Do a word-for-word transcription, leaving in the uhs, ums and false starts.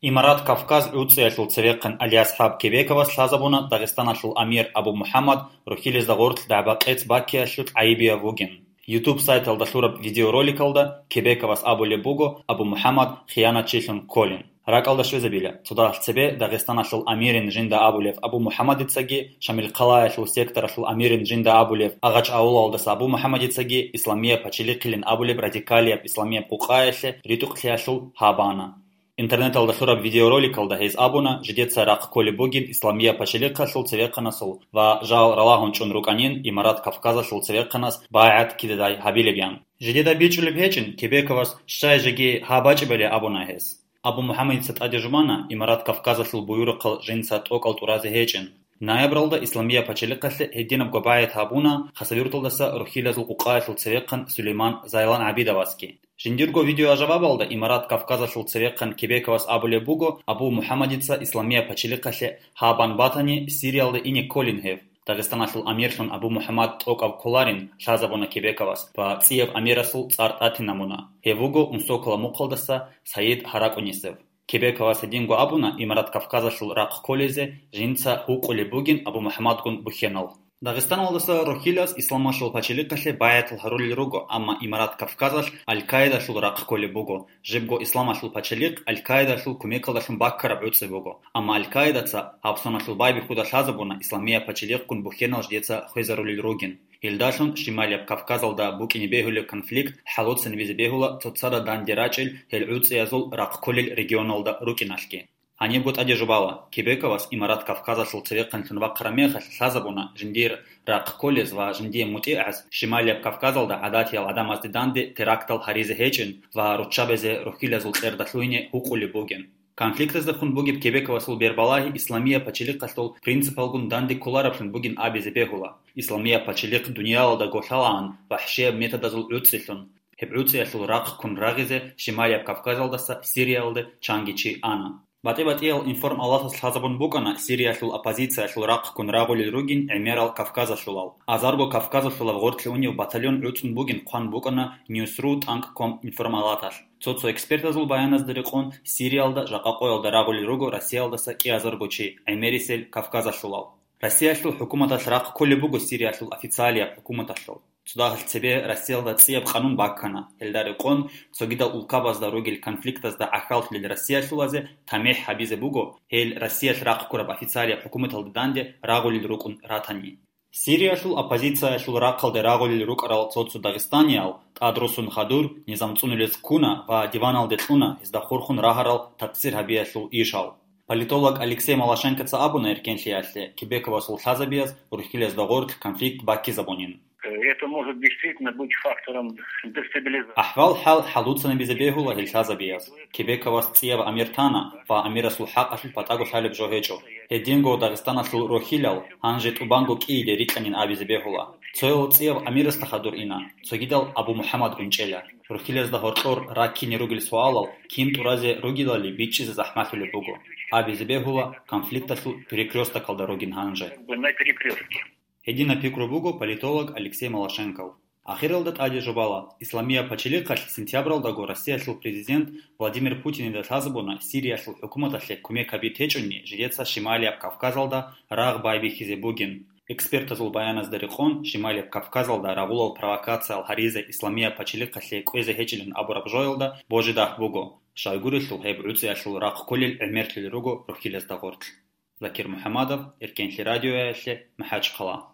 Имарат Кавказ гӀуцӀиялъул цевехъан Алиасхаб Кебековас лъазабуна Дагъистаналъул амир Абу МухӀаммад Рухьилезда гъорлъ дагӀба-къец баккиялъулъ гӀайибияб вугин. YouTube сайталда лъураб видеороликалда Кебековас абулеб буго Абу МухӀаммад хиянатчилъун кколин. РакӀалда щвезабила, цо дагьалъ цебе Дагъистаналъул амирин жинда абулев Абу МухӀаммадицаги, Шамилхъалаялъул секторалъул амирин жинда абулев Агъач-авулалдаса Абу МухӀаммадицаги исламияб пачалихъилин абулеб радикалияб исламияб къукъаялъе ритӀухълъиялъул гьабана. Интернеталда лъураб видеороликалда гьез абуна, жидеца рахъ кколеб бугин исламияб пачалихъалъул цевехъанасул ва жал ралагьун чӀун рукӀанин Имарат Кавказалъул цевехъанас байгӀат кидадай гьабилебян. Жидеда бичӀчӀулеб гьечӀин, Кебековас щай жеги гьаб бачӀибали абуна гьес. Абу МухӀаммадица тӀаде жубана, Имарат Кавказалъул буюрухъал жинца тӀокӀал тӀуразе гьечӀин. Ноябралда исламияб пачалихъалъе гьединабго байгӀат гьабуна Хасавюрталдаса Рухьилазул къукъаялъул цевехъан Сулейман Зайлан ГӀабидовасги. Жиндирго видеожавабалда Имарат Кавказалъул цевехъан Кебековас абулеб буго, Абу МухӀаммадица исламияб пачалихъалъе гьабун батани, Сириялда ине кколин гьев. Дагъистаналъул амирлъун Абу МухӀаммад тӀокӀав кколарин лъазабуна Кебековас ва цӀияб амирасул цӀар тӀатинабуна. Гьев вуго Унсокола мухъалдаса Саид ГьаракӀунисев. Кебековас гьединго абуна Имарат Кавказалъул рахъ кколезе жинца гьукъулеб бугин Абу МухӀаммадгун бухьенал. Дагъистаналдаса Рухьилас исламалъул пачалихъалъе байгӀатал гьарулел руго, амма Имарат Кавказалъ Аль-Каидалъул рахъ кколеб буго. Жибго исламалъул пачалихъ Аль-Каидалъул кумекалдалъун баккараб гӀуцӀи буго. Амма Аль-Каидаца гьабсаналъул байбихьуда лъазабуна исламияб пачалихъгун бухьенал жидеца хвезарулел ругин. Гьелдалъун Щималияб Кавказалда букӀине бегьулеб конфликт хӀалуцинабизе бегьула цоцазда данде рачӀел гьел гӀуцӀиязул рахъ кколел регионалда рукӀиналъги. Гьанибго тӀаде жубала, Кебековас Имарат Кавказалъул цевехъанлъун вахъараб мехалъ лъазабуна жиндир рахъ кколез ва жиндие мутӀигӀаз Щималияб Кавказалда гӀадатиял гӀадамазде данде терактал гьаризе гьечӀин ва руччабазе Рухьилазул кьерда лъугьине гьукъулеб бугин. Конфликтаздехун бугеб Кебековасул бербалагьи исламияб пачалихъалъул принципалгун данде кколараблъун бугин абизе бегьула, исламияб пачалихъ дуниялалда голъалаан вахӀшияб методазул гӀуцӀилъун. Гьеб гӀуцӀиялъул рахъ ккун рагъизе Щималияб Кавказалдаса Сириялде чанги чи ана. БатӀи-батӀиял информалатас лъазабун букӀана Сириялъул оппозициялъул рахъ ккун рагъулел ругин гӀемерал кавказалъулал. Азарго кавказалъулаб гъорлъе унев батальон гӀуцӀун бугин хъван букӀана Ньюсру тӀанкӀ ком информалаталъ. Цо-цо экспертазул баяназда рекъон, Сириялда жакъа къоялда рагъулел руго Россиялдаса кӀиазарго чи, гӀемерисел кавказалъулал. Россиялъул хӀукуматалъ рахъ кколеб буго Сириялъул официалияб хӀукуматалъул. Цо дагьалъ цебе Россиялда цӀияб къанун баккана. Гьелда рекъон, цогидал улкабазда ругел конфликтазда гӀахьаллъулел россиялъулазе тамихӀ гьабизе буго, гьел Россиялъ рахъ ккураб официалияб хӀукуматалда данде рагъулел рукӀун ратани. Сириялъул оппозициялъул рахъалде рагъулел рукӀарал цо-цо дагъистаниял, тӀадрусун хадур, низам цӀунулес ккуна ва диваналде кьуна гьезда хурхун рагьарал такъсир гьабиялъул ишал. Политолог Алексей Малашенкоца абуна эркенлъиялъе, Кебековасул лъазабияз Рухьилазда гъорлъ конфликт баккизабунин. Это может действительно быть фактором дестабилизации. АхӀвал-хӀал хӀалуцанабизе бегьула гьел лъазабияз. Кебековас цӀияб амир тана ва амирасул хӀакъалъулъ батӀаго лъалеб жо гьечӀо. Гьединго Дагъистаналъул рохьилал гьанже тӀубанго кӀииде рикӀкӀанин абизе бегьула. Цоял цӀияб амирасда хадур ина, цогидал Абу МухӀаммад гӀунчӀела. Рохьилазда гьоркьор раккине ругел суалал кин тӀуразе ругелали бичӀчӀизе захӀмалъулеб буго. Абизе бегьула, конфликталъул перекрёстокалда ругин гьанже. На перекрёстке. Гьединаб пикру буго политолог Алексей Малашенков. Ахиралда тӀаде жубала, исламияб пачалихъалъ сентябралдаго Россиялъул президент Владимир Путинида лъазабуна Сириялъул хӀукуматалъе кумек гьаби течӀунни жидеца Шималияб Кавказалда рагъ байбихьизе бугин. Экспертазул баяназда рекъон, Шималияб Кавказалда рагъулал провокациял гьаризе исламияб пачалихъалъе кӀвезе гьечӀилан абураб жоялда божи-дагь буго, щайгурелъул гьеб гӀуцӀиялъул рахъ кколел гӀемерлъи руго рохьилазда гъорлъ. Закир МухӀамадов, Эркенлъи радиоялъе, МахӀачхъала.